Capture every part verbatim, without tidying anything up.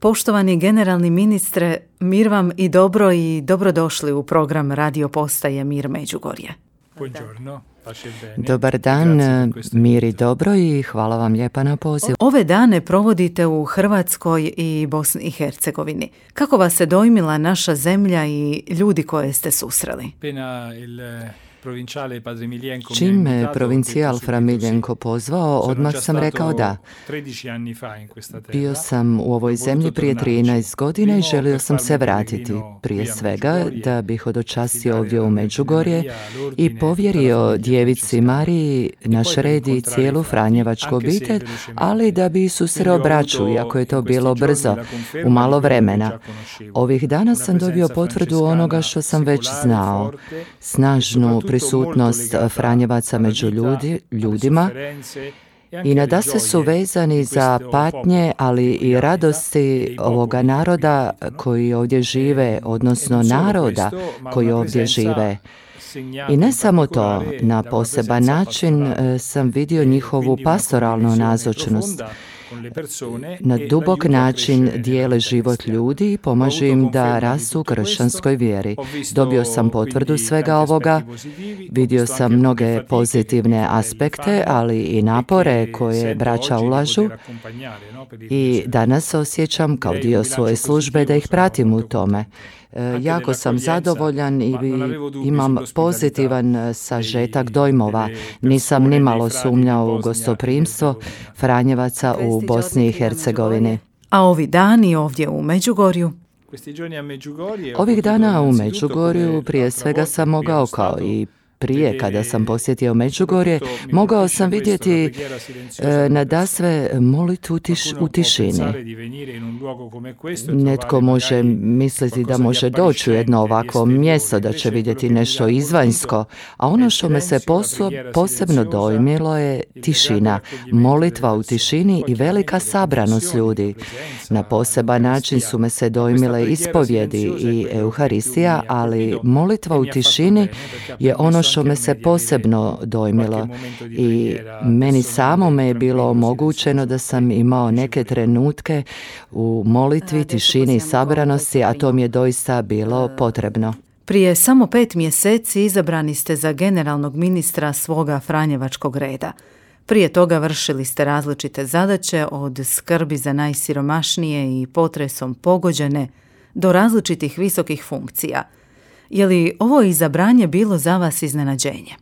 Poštovani generalni ministre, mir vam i dobro i dobrodošli u program radio postaje Mir Međugorje. Dobar dan, mir i dobro i hvala vam lijepa na pozivu. Ove dane provodite u Hrvatskoj i Bosni i Hercegovini. Kako vas se dojmila naša zemlja i ljudi koje ste susreli? Čim me provincijal Fra Miljenko pozvao, odmah sam rekao da. Bio sam u ovoj zemlji prije trinaest godina i želio sam se vratiti. Prije svega da bih hodočastio ovdje u Međugorje i povjerio djevici Mariji naš red i cijelu Franjevačku obitelj, ali da bi susreo braću, iako je to bilo brzo, u malo vremena. Ovih dana sam dobio potvrdu onoga što sam već znao. Snažnu prisutnost Franjevaca među ljudi, ljudima i nadasve su vezani za patnje, ali i radosti ovoga naroda koji ovdje žive, odnosno naroda koji ovdje žive. I ne samo to, na poseban način sam vidio njihovu pastoralnu nazočnost. Na dubok način dijele život ljudi i pomažu im da rastu u kršćanskoj vjeri. Dobio sam potvrdu svega ovoga, vidio sam mnoge pozitivne aspekte, ali i napore koje braća ulažu i danas se osjećam kao dio svoje službe da ih pratim u tome. Jako sam zadovoljan i imam pozitivan sažetak dojmova. Nisam nimalo sumnjao u gostoprimstvo Franjevaca u Bosni i Hercegovini. A ovi dani ovdje u Međugorju? Ovih dana u Međugorju prije svega sam mogao, kao i prije kada sam posjetio Međugorje, mogao sam vidjeti e, nadasve molitvu tiš, u tišini. Netko može misliti da može doći u jedno ovakvo mjesto, da će vidjeti nešto izvanjsko, a ono što me se poso, posebno dojmilo je tišina, molitva u tišini i velika sabranost ljudi. Na poseban način su me se dojmile ispovjedi i Euharistija, ali molitva u tišini je ono što me se posebno dojmilo i meni samome je bilo omogućeno da sam imao neke trenutke u molitvi, tišini i sabranosti, a to mi je doista bilo potrebno. Prije samo pet mjeseci izabrani ste za generalnog ministra svoga Franjevačkog reda. Prije toga vršili ste različite zadaće od skrbi za najsiromašnije i potresom pogođene do različitih visokih funkcija. Je li ovo izabranje bilo za vas iznenađenje?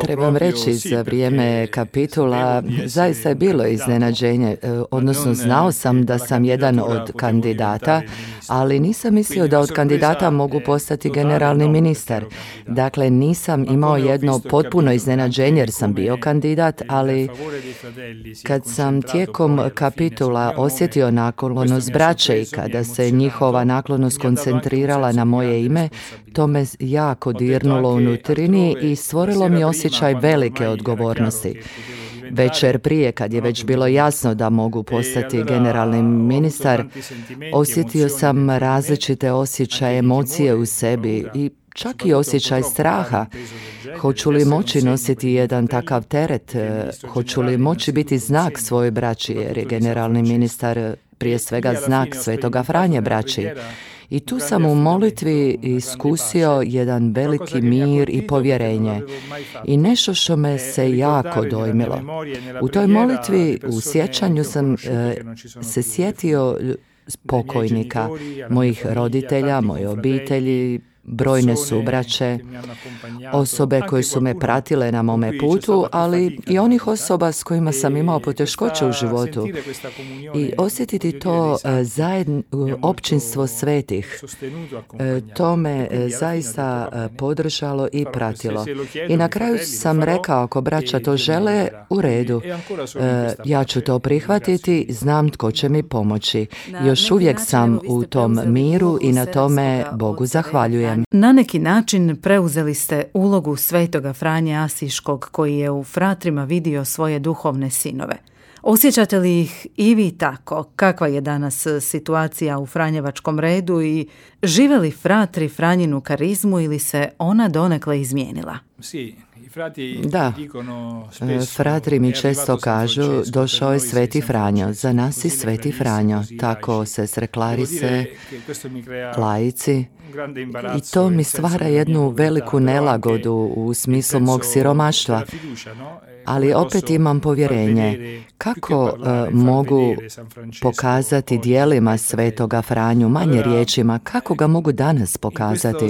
Trebam reći, za vrijeme kapitula zaista je bilo iznenađenje, odnosno znao sam da sam jedan od kandidata, ali nisam mislio da od kandidata mogu postati generalni ministar. Dakle, nisam imao jedno potpuno iznenađenje jer sam bio kandidat, ali kad sam tijekom kapitula osjetio naklonost braće i kada se njihova naklonost koncentrirala na moje ime, to me jako dirnulo unutar i stvorilo mi osjećaj velike odgovornosti. Večer prije, kad je već bilo jasno da mogu postati generalni ministar, osjetio sam različite osjećaje, emocije u sebi i čak i osjećaj straha. Hoću li moći nositi jedan takav teret? Hoću li moći biti znak svoje braći, jer je generalni ministar prije svega znak Svetoga Franje braći. I tu sam u molitvi iskusio jedan veliki mir i povjerenje i nešto što me se jako dojmilo. U toj molitvi, u sjećanju sam e, se sjetio pokojnika, mojih roditelja, moje obitelji, brojne subraće, osobe koje su me pratile na mome putu, ali i onih osoba s kojima sam imao poteškoće u životu. I osjetiti to zajedno, općinstvo svetih, to me zaista podržalo i pratilo. I na kraju sam rekao, ako braća to žele, u redu, ja ću to prihvatiti, znam tko će mi pomoći. Još uvijek sam u tom miru i na tome Bogu zahvaljujem. Na neki način preuzeli ste ulogu Svetoga Franje Asiškog koji je u fratrima vidio svoje duhovne sinove. Osjećate li ih i vi tako? Kakva je danas situacija u Franjevačkom redu i žive li fratri Franjinu karizmu ili se ona donekle izmijenila? Da, fratri mi često kažu, došao je Sveti Franjo, za nas i Sveti Franjo, tako sestre Clarise, laici. I to mi stvara jednu veliku nelagodu u smislu mog siromaštva, ali opet imam povjerenje. Kako uh, mogu pokazati dijelima Svetoga Franju, manje riječima, kako ga mogu danas pokazati?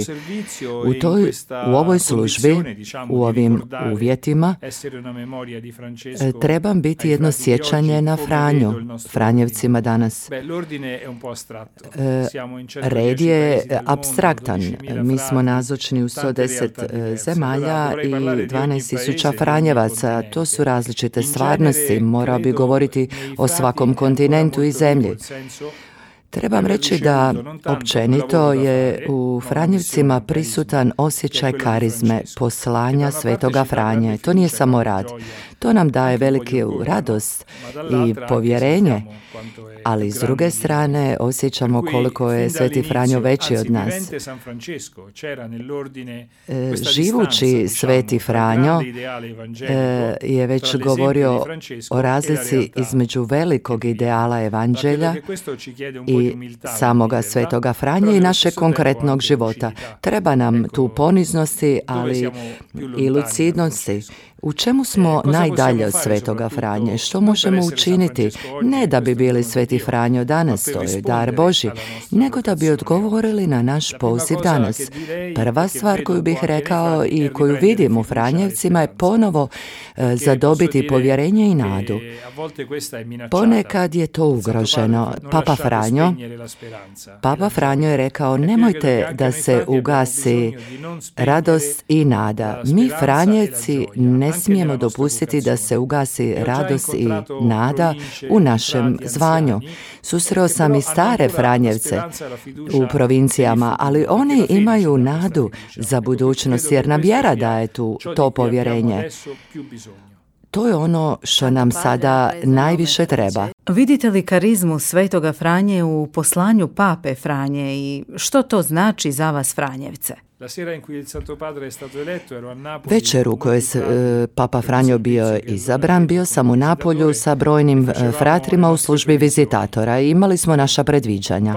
U, toj, u ovoj službi, u ovim uvjetima, trebam biti jedno sjećanje na Franju, Franjevcima danas. Red je apstraktan. Mi smo nazočni u sto deset zemalja i dvanaest tisuća Franjevaca. To su različite stvarnosti. Morao bi govoriti o svakom kontinentu i zemlji. Trebam reći da općenito je u Franjevcima prisutan osjećaj karizme, poslanja Svetoga Franje. To nije samo rad. To nam daje veliku radost i povjerenje, ali s druge strane osjećamo koliko je Sveti Franjo veći od nas. E, živući Sveti Franjo e, je već govorio o razlici između velikog ideala evanđelja i samoga Svetoga Franje i našeg konkretnog života. Treba nam tu poniznosti, ali i lucidnosti. U čemu smo najdalje od Svetoga Franje? Što možemo učiniti? Ne da bi bili Sveti Franjo danas, to je dar Božji, nego da bi odgovorili na naš poziv danas. Prva stvar koju bih rekao i koju vidim u Franjevcima je ponovo e, zadobiti povjerenje i nadu. Ponekad je to ugroženo. Papa Franjo, Papa Franjo je rekao, nemojte da se ugasi radost i nada. Mi Franjevci ne smijemo dopustiti da se ugasi radost i nada u našem zvanju. Susreo sam i stare Franjevce u provincijama, ali oni imaju nadu za budućnost jer nam vjera daje tu to povjerenje. To je ono što nam sada najviše treba. Vidite li karizmu Svetoga Franje u poslanju Pape Franje i što to znači za vas Franjevce? Večer u kojoj se e, Papa Franjo bio izabran, bio sam u Napolju sa brojnim e, fratrima u službi vizitatora i imali smo naša predviđanja.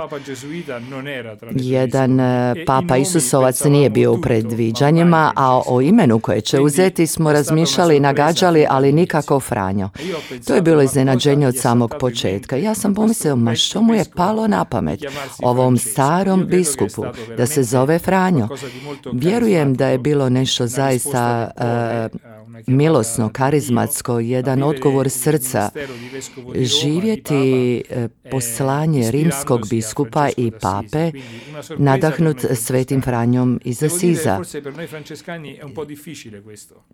Jedan e, Papa Isusovac nije bio u predviđanjima, a o imenu koje će uzeti smo razmišljali i nagađali, ali nikako Franjo. To je bilo iznenađenje od samog početka. Ja sam pomislio, ma što mu je palo na pamet ovom starom biskupu da se zove Franjo. Vjerujem da je bilo nešto zaista uh, milosno, karizmatsko, jedan odgovor srca, živjeti uh, poslanje rimskog biskupa i pape, nadahnut Svetim Franjom iz Asiza.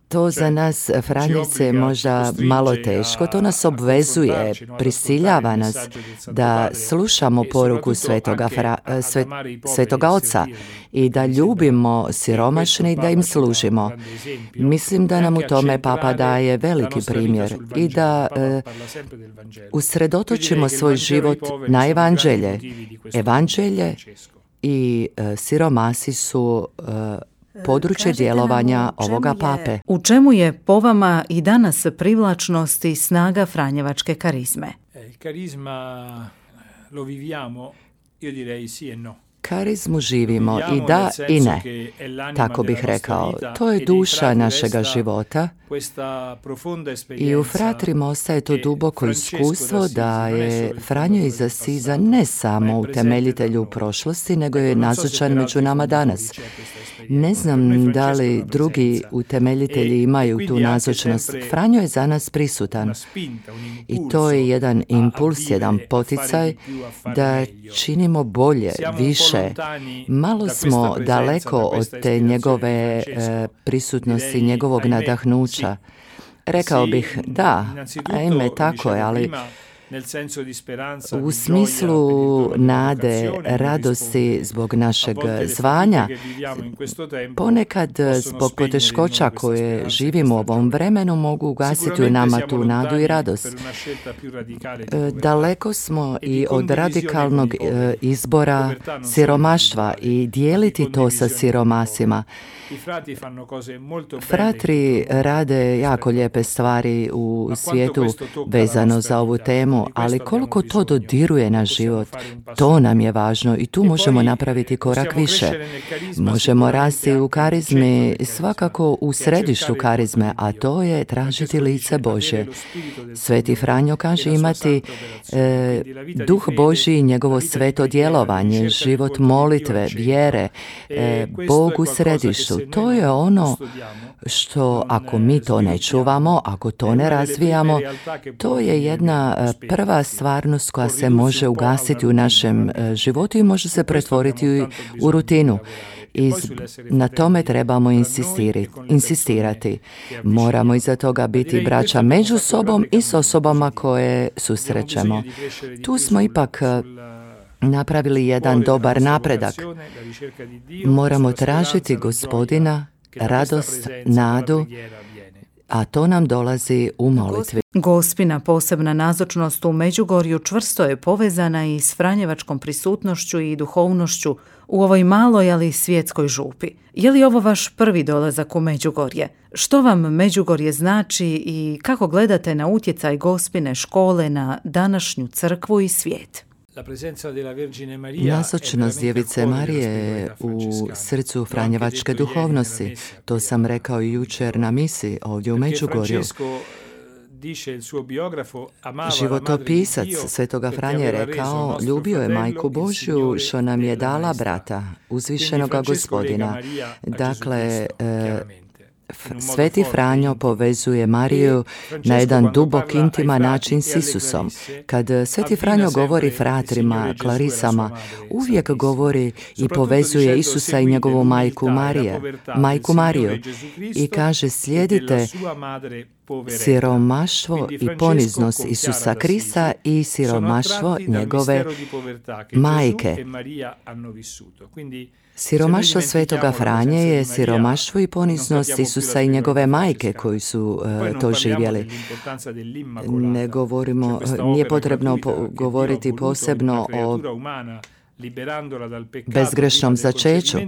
To za nas Franjevce je možda malo teško, to nas obvezuje, prisiljava nas da slušamo poruku Svetoga, fra, svet, Svetoga Oca i da ljubimo siromašni, da im služimo. Mislim da nam u tome Papa daje veliki primjer i da e, usredotočimo svoj život na evanđelje. Evanđelje i e, siromasi su e, područje djelovanja ovoga Pape. U čemu je po vama i danas privlačnost i snaga franjevačke karizme? Karizma lo viviamo, io direi sì e no. Karizmu živimo i da i ne, tako bih rekao. To je duša našega života i u fratrima ostaje to duboko iskustvo da je Franjo iz Asiza ne samo utemeljitelj u prošlosti, nego je nazočan među nama danas. Ne znam da li drugi utemeljitelji imaju tu nazočnost. Franjo je za nas prisutan i to je jedan impuls, jedan poticaj da činimo bolje, više. Malo smo daleko od te njegove e, prisutnosti, njegovog nadahnuća. Rekao bih, da, ajme, tako je, ali u smislu nade, radosti zbog našeg zvanja, ponekad zbog poteškoća koje živimo u ovom vremenu mogu ugasiti u nama tu nadu i radost. Daleko smo i od radikalnog izbora siromaštva i dijeliti to sa siromasima. Fratri rade jako lijepe stvari u svijetu vezano za ovu temu, ali koliko to dodiruje naš život, to nam je važno i tu možemo napraviti korak više. Možemo rasti u karizmi, svakako u središtu karizme, a to je tražiti lice Božje. Sveti Franjo kaže imati e, duh Božji i njegovo sveto djelovanje, život molitve, vjere, e, Bog u središtu. To je ono što ako mi to ne čuvamo, ako to ne razvijamo, to je jedna prva stvarnost koja se može ugasiti u našem životu i može se pretvoriti u rutinu. I na tome trebamo insistirati. Moramo iza toga biti braća među sobom i s osobama koje susrećemo. Tu smo ipak napravili jedan dobar napredak. Moramo tražiti Gospodina, radost, nadu, a to nam dolazi u molitvi. Gospina posebna nazočnost u Međugorju čvrsto je povezana i s franjevačkom prisutnošću i duhovnošću u ovoj maloj, ali svjetskoj župi. Je li ovo vaš prvi dolazak u Međugorje? Što vam Međugorje znači i kako gledate na utjecaj Gospine škole na današnju crkvu i svijet? Nazočnost Djevice Marije je u srcu franjevačke duhovnosti. To sam rekao i jučer na misi ovdje u Međugorju. Životopisac Svetoga Franje je rekao, ljubio je Majku Božju što nam je dala brata, uzvišenoga Gospodina. Dakle, Sveti Franjo povezuje Mariju na jedan dubok, intiman način s Isusom. Kad Sveti Franjo govori fratrima, klarisama, uvijek govori i povezuje Isusa i njegovu majku Marije, majku Mariju i kaže slijedite siromaštvo i poniznost Isusa Krista i siromaštvo njegove majke. Siromaštvo Svetoga Franje je siromaštvo i poniznost Isusa i njegove majke koji su uh, to živjeli. Ne govorimo, nije potrebno po- govoriti posebno o bezgrešnom začeću.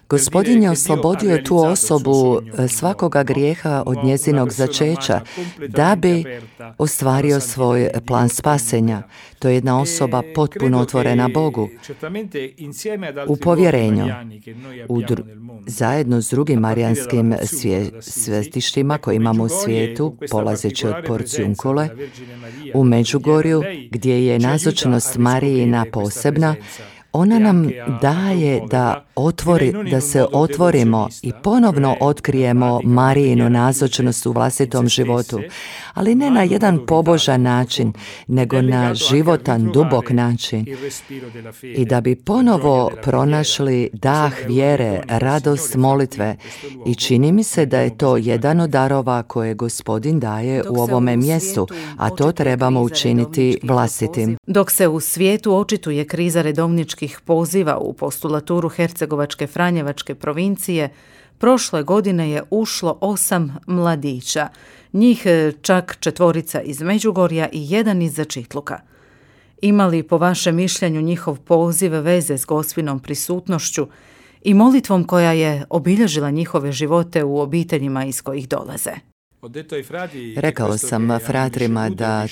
Gospodin je oslobodio tu osobu svakoga grijeha od njezinog začeća da bi ostvario svoj plan spasenja. To je jedna osoba potpuno otvorena Bogu. U povjerenju, u dru- zajedno s drugim marijanskim svje- svetištima koje imamo u svijetu, polazeći od Porciunkule, u Međugorju, gdje je nazočnost Marijina posebna, ona nam daje da, otvori, da se otvorimo i ponovno otkrijemo Marijinu nazočnost u vlastitom životu, ali ne na jedan pobožan način, nego na životan, dubok način. I da bi ponovo pronašli dah vjere, radost molitve. I čini mi se da je to jedan od darova koje Gospodin daje u ovome mjestu, a to trebamo učiniti vlastitim. Dok se u svijetu očituje kriza redovničkih poziva u postulaturu Hercegovačke Franjevačke provincije, prošle godine je ušlo osam mladića, njih čak četvorica iz Međugorja i jedan iz Začitluka. Ima li po vašem mišljenju njihov poziv veze s Gospinom prisutnošću i molitvom koja je obilježila njihove živote u obiteljima iz kojih dolaze? Rekao sam fratrima da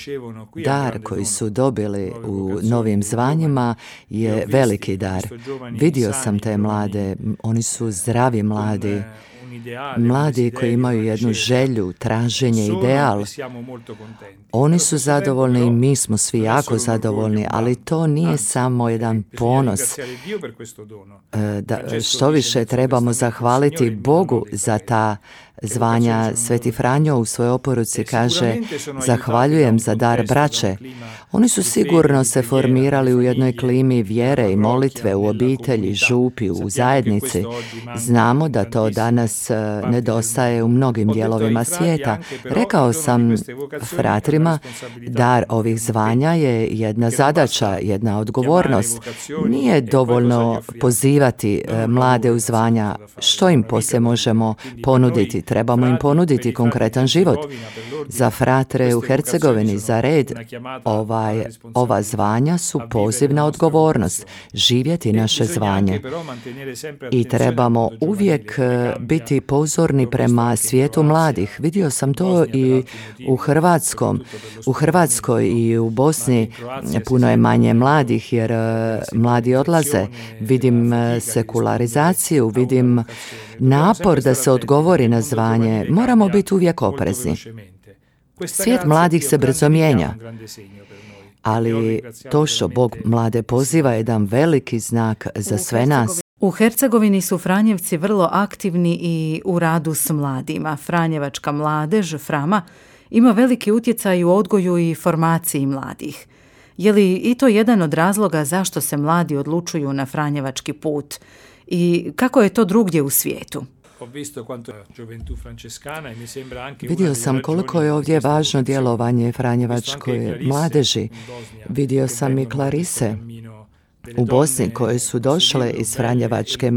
dar koji su dobili u novim zvanjima je veliki dar. Vidio sam te mlade, oni su zdravi mladi, mladi koji imaju jednu želju, traženje, ideal. Oni su zadovoljni i mi smo svi jako zadovoljni, ali to nije samo jedan ponos. Da, što više trebamo zahvaliti Bogu za ta zvanja. Sveti Franjo u svojoj oporuci kaže: zahvaljujem za dar braće. Oni su sigurno se formirali u jednoj klimi vjere i molitve u obitelji, župi, u zajednici. Znamo da to danas danas nedostaje u mnogim dijelovima svijeta. Rekao sam fratrima, dar ovih zvanja je jedna zadaća, jedna odgovornost. Nije dovoljno pozivati mlade u zvanja. Što im poslije možemo ponuditi? Trebamo im ponuditi konkretan život. Za fratre u Hercegovini, za red, ovaj, ova zvanja su pozivna odgovornost. Živjeti naše zvanje. I trebamo uvijek biti pozorni prema svijetu mladih. Vidio sam to i u Hrvatskom. U Hrvatskoj i u Bosni puno je manje mladih jer mladi odlaze. Vidim sekularizaciju, vidim napor da se odgovori na zvanje. Moramo biti uvijek oprezni. Svijet mladih se brzo mijenja. Ali to što Bog mlade poziva je jedan veliki znak za sve nas. U Hercegovini su Franjevci vrlo aktivni i u radu s mladima. Franjevačka mladež, Frama, ima veliki utjecaj u odgoju i formaciji mladih. Je li i to jedan od razloga zašto se mladi odlučuju na franjevački put? I kako je to drugdje u svijetu? Vidio sam koliko je ovdje važno djelovanje franjevačkoj mladeži. Vidio sam i Klarise u Bosni koje su došle iz franjevačke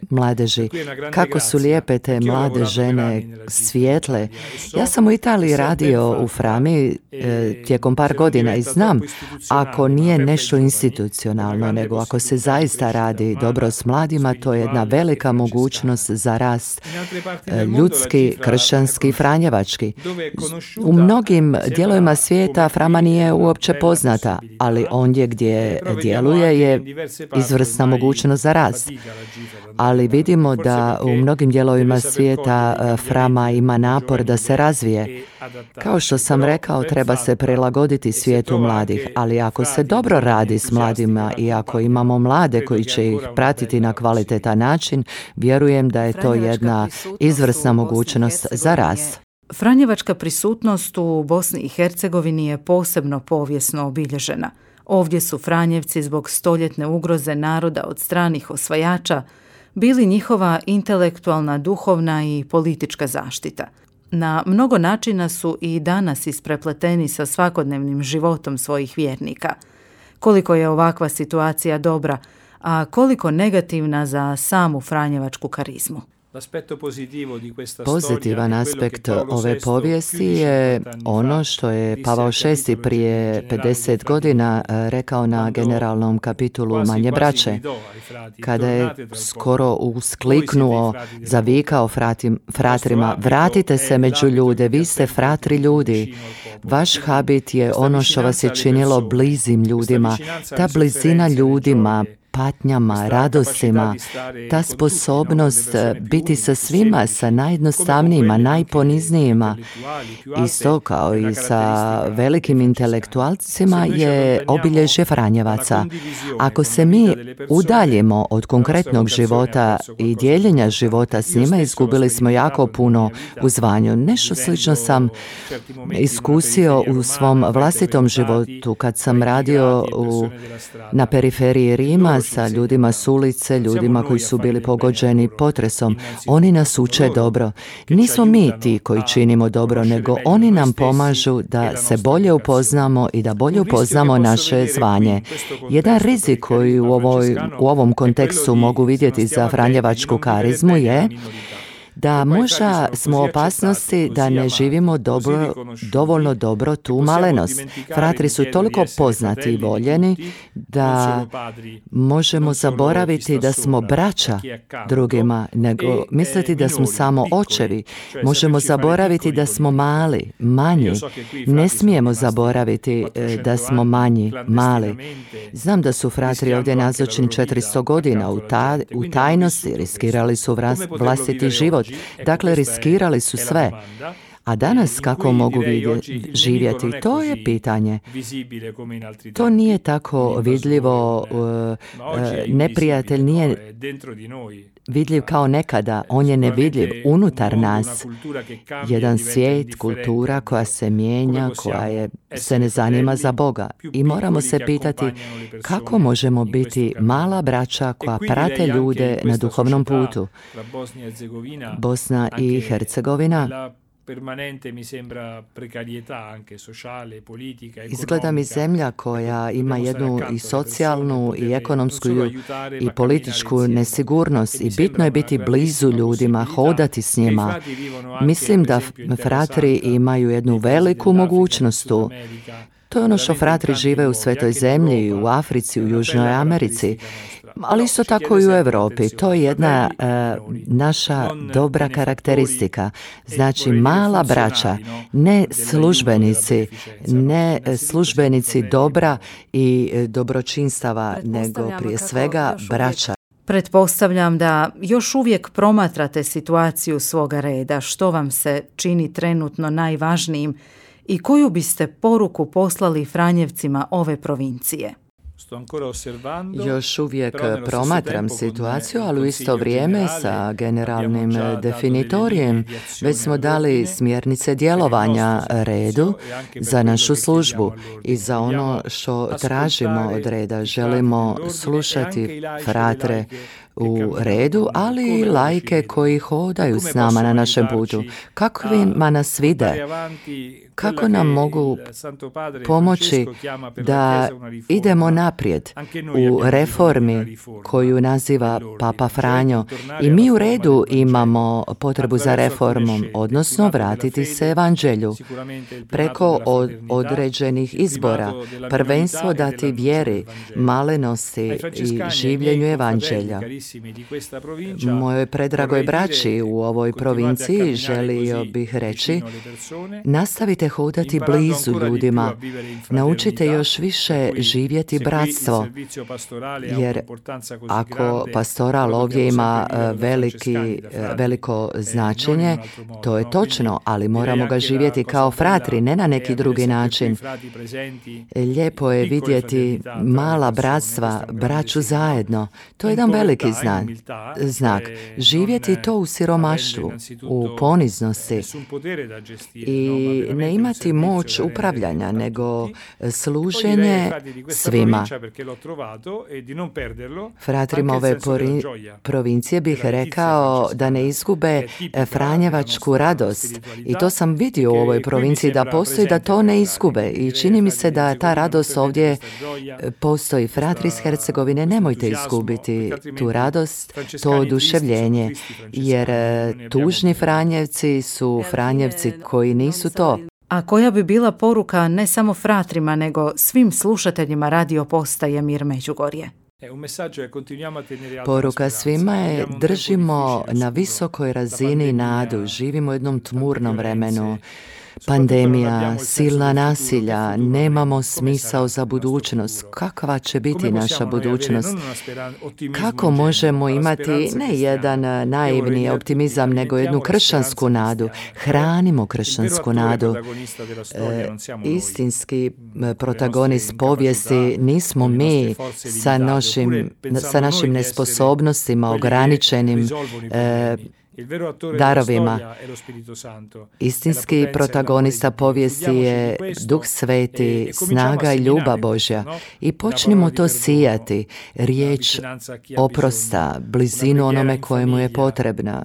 mladeži. Kako su lijepe te mlade žene, svijetle. Ja sam u Italiji radio u Frami e, tijekom par godina i znam, ako nije nešto institucionalno, nego ako se zaista radi dobro s mladima, to je jedna velika mogućnost za rast e, ljudski, kršćanski, franjevački. U mnogim dijelovima svijeta Frama nije uopće poznata, ali ondje gdje djeluje je izvrsna mogućnost za rast. Ali vidimo da u mnogim dijelovima svijeta Frama ima napor da se razvije. Kao što sam rekao, treba se prilagoditi svijetu mladih, ali ako se dobro radi s mladima i ako imamo mlade koji će ih pratiti na kvalitetan način, vjerujem da je to jedna izvrsna mogućnost za rast. Franjevačka prisutnost u Bosni i Hercegovini je posebno povijesno obilježena. Ovdje su Franjevci zbog stoljetne ugroze naroda od stranih osvajača bili njihova intelektualna, duhovna i politička zaštita. Na mnogo načina su i danas isprepleteni sa svakodnevnim životom svojih vjernika. Koliko je ovakva situacija dobra, a koliko negativna za samu franjevačku karizmu. Pozitivan aspekt ove povijesti je ono što je Pavao šesti prije pedeset godina rekao na generalnom kapitulu Manje braće, kada je skoro uskliknuo, zavikao fratim, fratrima, vratite se među ljude, vi ste fratri ljudi. Vaš habit je ono što vas je činilo blizim ljudima, ta blizina ljudima, patnjama, radostima, ta sposobnost biti sa svima, sa najjednostavnijima, najponiznijima, isto kao i sa velikim intelektualcima je obilježje Franjevaca. Ako se mi udaljimo od konkretnog života i dijeljenja života s njima, izgubili smo jako puno u zvanju. Nešto slično sam iskusio u svom vlastitom životu kad sam radio u, na periferiji Rima sa ljudima s ulice, ljudima koji su bili pogođeni potresom. Oni nas uče dobro. Nismo mi ti koji činimo dobro, nego oni nam pomažu da se bolje upoznamo i da bolje upoznamo naše zvanje. Jedan rizik koji u, ovoj, u ovom kontekstu mogu vidjeti za franjevačku karizmu je da možda smo u opasnosti da ne živimo dobro, dovoljno dobro tu malenost. Fratri su toliko poznati i voljeni da možemo zaboraviti da smo braća drugima, nego misliti da smo samo očevi. Možemo zaboraviti da smo mali, manji. Ne smijemo zaboraviti da smo manji, mali. Znam da su fratri ovdje nazočni četiristo godina u, ta, u tajnosti, riskirali su vlastiti život. Dakle, riskirali su sve. A danas kako mogu vidjeti, živjeti, to je pitanje. To nije tako vidljivo, neprijatelj nije vidljiv kao nekada, on je nevidljiv unutar nas. Jedan svijet, kultura koja se mijenja, koja je, se ne zanima za Boga. I moramo se pitati kako možemo biti mala braća koja prate ljude na duhovnom putu. Bosna i Hercegovina izgleda mi zemlja koja ima jednu i socijalnu i ekonomsku i političku nesigurnost i bitno je biti blizu ljudima, hodati s njima. Mislim da fratri imaju jednu veliku mogućnost tu. To je ono što fratri žive u Svetoj zemlji, u Africi, u Južnoj Americi, ali isto tako i u Europi. To je jedna uh, naša dobra karakteristika. Znači, mala braća, ne službenici, ne službenici dobra i dobročinstava, nego prije svega braća. Pretpostavljam da još uvijek promatrate situaciju svoga reda. Što vam se čini trenutno najvažnijim i koju biste poruku poslali Franjevcima ove provincije? Još uvijek promatram situaciju, ali u isto vrijeme sa generalnim definitorijem već smo dali smjernice djelovanja redu za našu službu i za ono što tražimo od reda. Želimo slušati fratre u redu, ali i lajke koji hodaju s nama na našem putu. Kakvima nas vide, kako nam mogu pomoći da idemo naprijed u reformi koju naziva Papa Franjo. I mi u redu imamo potrebu za reformom, odnosno vratiti se evanđelju preko od, određenih izbora, prvenstvo dati vjeri, malenosti i življenju evanđelja. Mojoj predragoj braći u ovoj provinciji želio bih reći, nastavite hodati blizu ljudima, naučite još više živjeti bratstvo, jer ako pastoral ovdje ima veliki, veliko značenje, to je točno, ali moramo ga živjeti kao fratri, ne na neki drugi način. Lijepo je vidjeti mala bratstva, braću zajedno, to je jedan veliki znak. znak. Živjeti to u siromaštvu, u poniznosti i ne imati moć upravljanja, nego služenje svima. Fratrima ove provincije bih rekao da ne izgube franjevačku radost. I to sam vidio u ovoj provinciji da postoji, da to ne izgube. I čini mi se da ta radost ovdje postoji. Fratri iz Hercegovine, nemojte izgubiti tu radost, to oduševljenje, jer tužni Franjevci su Franjevci koji nisu to. A koja bi bila poruka ne samo fratrima, nego svim slušateljima radio postaje Mir Međugorje? Poruka svima je držimo na visokoj razini nadu, živimo u jednom tmurnom vremenu. Pandemija, silna nasilja, nemamo smisao za budućnost. Kakva će biti naša budućnost? Kako možemo imati ne jedan naivni optimizam, nego jednu kršćansku nadu? Hranimo kršćansku nadu. E, istinski protagonist povijesti nismo mi sa, našim, sa našim nesposobnostima, ograničenim e, darovima. Istinski protagonista povijesti je Duh Sveti, snaga i ljubav Božja. I počnimo to sijati, riječ oprosta, blizinu onome kojemu je potrebna.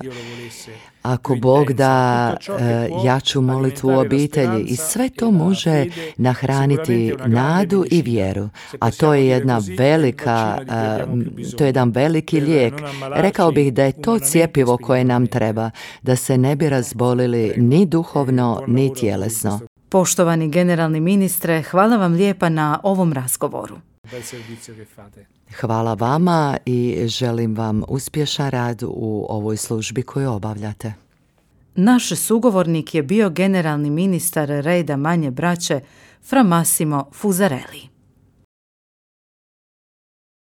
Ako Bog da e, jaču molitvu u obitelji i sve to može nahraniti nadu i vjeru, a to je jedna velika, e, to je jedan veliki lijek. Rekao bih da je to cjepivo koje nam treba, da se ne bi razbolili ni duhovno, ni tjelesno. Poštovani generalni ministre, hvala vam lijepa na ovom razgovoru. Hvala vama i želim vam uspješan rad u ovoj službi koju obavljate. Naš sugovornik je bio generalni ministar reda Manje braće Fra Massimo Fusarelli.